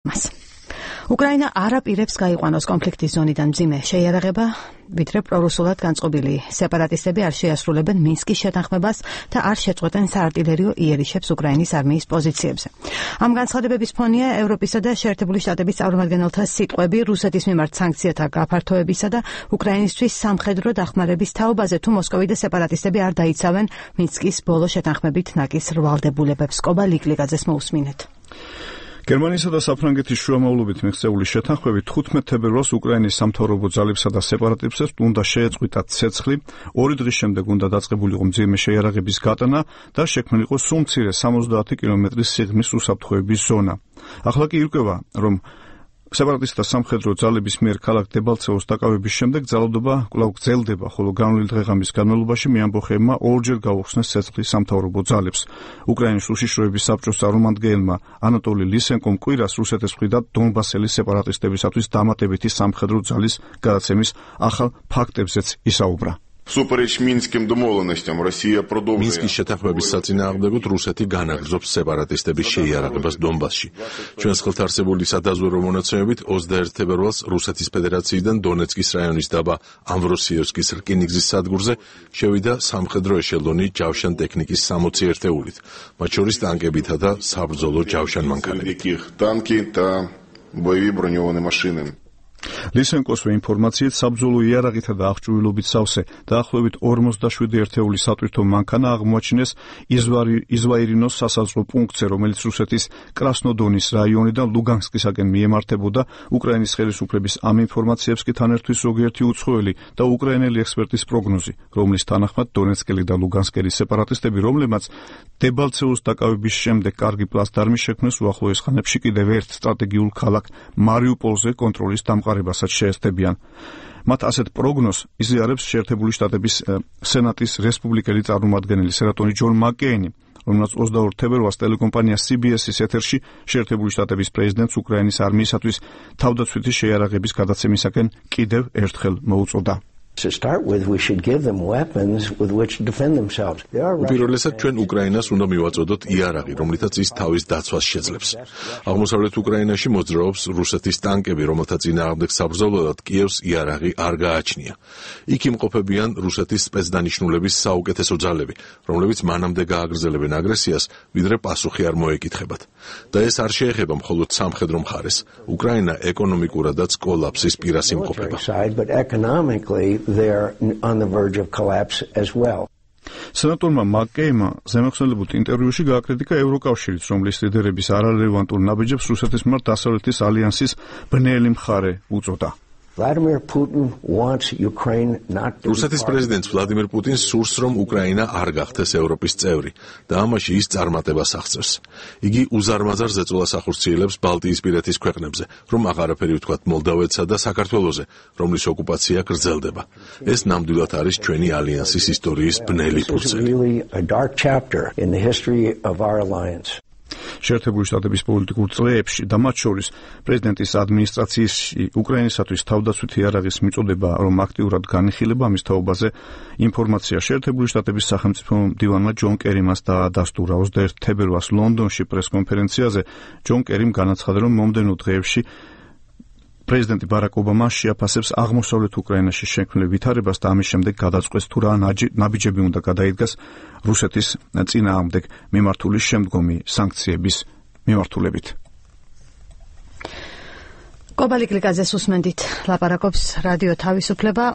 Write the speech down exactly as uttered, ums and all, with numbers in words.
უკრაინა არ აპირებს გაიყვანოს კონფლიქტის ზონიდან მძიმე შეიარაღება, ვიდრე პრორუსულად განწყობილი სეპარატისტები არ შეასრულებენ მინსკის შეთანხმებას და არ შეწყვეტენ საარტილერიო იერიშებს უკრაინის არმიის პოზიციებზე. ამ განცხადებების ფონია ევროპისა და შეერთებული შტატების წარმომადგენელთა სიტყვები რუსეთის მიმართ სანქციათა გაფართოებისა და უკრაინისთვის სამხედრო დახმარების თაობაზე, თუ მოსკოვი და სეპარატისტები არ დაიცავენ მინსკის ბოლო შეთანხმებით ნაკის რვალდებულებებს. კობა ლიკლიგაძეს მოусმინეთ. გერმანიისა და საფრანგეთის შუამავლობით მიღწეული შეთანხმებით თხუთმეტ თებერვალს უკრაინის სამთავრობო ძალებსა და სეპარატისტებს უნდა შეეწყვიტათ ცეცხლი, ორი დღის შემდეგ უნდა დაწყებულიყო მძიმე შეიარაღების გატანა და შექმნილიყო სულ მცირე სამოცდაათი კილომეტრის სიღრმის უსაფრთხოების ზონა. ახლა კი ირკვევა, რომ სეპარატისტთა სამხედრო ძალების მიერ ქალაქ დებალცევოს დაკავების შემდეგ ძალადობა კვლავ გრძელდება, ხოლო განვლილ დღეღამის განმავლობაში მეამბოხეებმა ორჯერ გაუხსნეს ცეცხლი სამთავრობო ძალებს. უკრაინის უშიშროების საბჭოს წარმომადგენელმა ანატოლი ლისენკომ კვირას რუსეთის მხრიდან დონბასელის სეპარატისტებისათვის დამატებითი სამხედრო ძალის გადაცემის ახალ ფაქტებზეც ისაუბრა. Всупереч Минским домовленостям Россия продовжує მინსკის შეთანხმების საწინააღმდეგოდ რუსეთი განაგრძობს სეპარატისტების შეიარაღებას დონბასში. ჩვენს ხელთ არსებული სადაზვერვო მონაცემებით ოცდაერთი თებერვალს რუსეთის ფედერაციიდან დონეცკის რაიონის დაბა ამვროსიევსკის რკინიგზის სადგურზე შევიდა სამხედრო ეშელონი ჯავშან ტექნიკის სამოცი ერთეულით, მათ შორის ტანკებითა და საბრძოლო ჯავშან მანქანებით. танки და боевые бронированные машины. ლისენკოს ინფორმაციით საბრძოლო იარაღითა და აღჭურვილობით სავსე დაახლოებით ორმოცდაშვიდი ერთეული სატვირთო მანქანა აღმოაჩინეს იზვაირინოს სასაზღვრო პუნქტზე, რომელიც რუსეთის კრასნოდონის რაიონიდან ლუგანსკისაკენ მიემართებოდა. უკრაინის ხელისუფლების ამ ინფორმაციებს კი თან ერთვის ზოგიერთი უცხოელი და უკრაინელი ექსპერტის პროგნოზი, რომლის თანახმად დონეცკელი და ლუგანსკელის სეპარატისტები, რომლებმაც დებალცევოს დაკავების შემდეგ კარგი პლაცდარმი შექმნეს, უახლოეს ხანებში კიდევ ერთ სტრატეგიულ ქალაქ მარიუპოლზე კონტროლის დამყარებასაც შეეცდებიან. მათ ასეთ პროგნოზს იზიარებს შეერთებული შტატების სენატის რესპუბლიკელი წარმომადგენელი სენატორი ჯონ მაკეინი, რომელსაც ოცდაორ თებერვალს ტელეკომპანია სი ბი ეს-ის ეთერში შეერთებული შტატების პრეზიდენტს უკრაინის არმიისათვის თავდაცვითი შეიარაღების გადაცემისაკენ კიდევ ერთხელ მოუწოდა. უპირველესად ჩვენ უკრაინას უნდა მივაწოდოთ იარაღი, რომლითაც ის თავის დაცვას შეძლებს. აღმოსავლეთ უკრაინაში მოძრაობს რუსეთის ტანკები, რომელთა წინააღმდეგ საბრძოლველად კიევს იარაღი არ გააჩნია. იქ იმყოფებიან რუსეთის სპეცდანიშნულების საუკეთესო ძალები, რომლებიც მანამდე გააგრძელებენ აგრესიას, ვიდრე პასუხი არ მოეკითხებათ. და ეს არ შეეხება მხოლოდ სამხედრო მხარეს. უკრაინა ეკონომიკურადაც კოლაფსის პირას იმყოფება. They're on the verge of collapse as well. სენატორმა მაკეინმა ზემოხსენებულ ინტერვიუში გააკრიტიკა ევროკავშირიც, რომლის ლიდერების არარელევანტურ ნაბიჯებს რუსეთის მიმართ დასავლეთის ალიანსის ბნელი მხარე უწოდა. Vladimir Putin wants Ukraine not to რუსეთის პრეზიდენტს ვლადიმერ პუტინს სურს, რომ უკრაინა არ გახდეს ევროპის წევრი და ამაში ის წარმატებას აღწევს. იგი უზარმაზარ ზეწოლას ახორციელებს ბალტიისპირეთის ქვეყნებზე, რომ აღარაფერი ვთქვათ მოლდავეთსა და საქართველოზე, რომლის ოკუპაცია გრძელდება. ეს ნამდვილად არის ჩვენი ალიანსის ისტორიის ბნელი ფურცელი. შეერთებული შტატების პოლიტიკურ წლებში და მათ შორის პრეზიდენტის ადმინისტრაციაში უკრაინისათვის თავდაცვითი იარაღის მიწოდება, რომ აქტიურად განიხილება ამის თაობაზე ინფორმაცია შეერთებული შტატების სახელმწიფო მდივანმა ჯონ კერიმას დაადასტურა. ოცდაერთი თებერვალს ლონდონში პრესკონფერენციაზე ჯონ კერიმ განაცხადა, რომ მომდევნო დღეებში პრეზიდენტი ბარაკ ობამა შეაფასებს აღმოსავლეთ უკრაინაში შექმნილ ვითარებას და ამის შემდეგ გადაწყვეტს თუ რა ნაბიჯები უნდა გადაიდგას რუსეთის წინააღმდეგ მიმართული შემდგომი სანქციების მიმართულებით. კობა ლიკლიგაძეს უსმენდით, ლაპარაკობს რადიო თავისუფლება.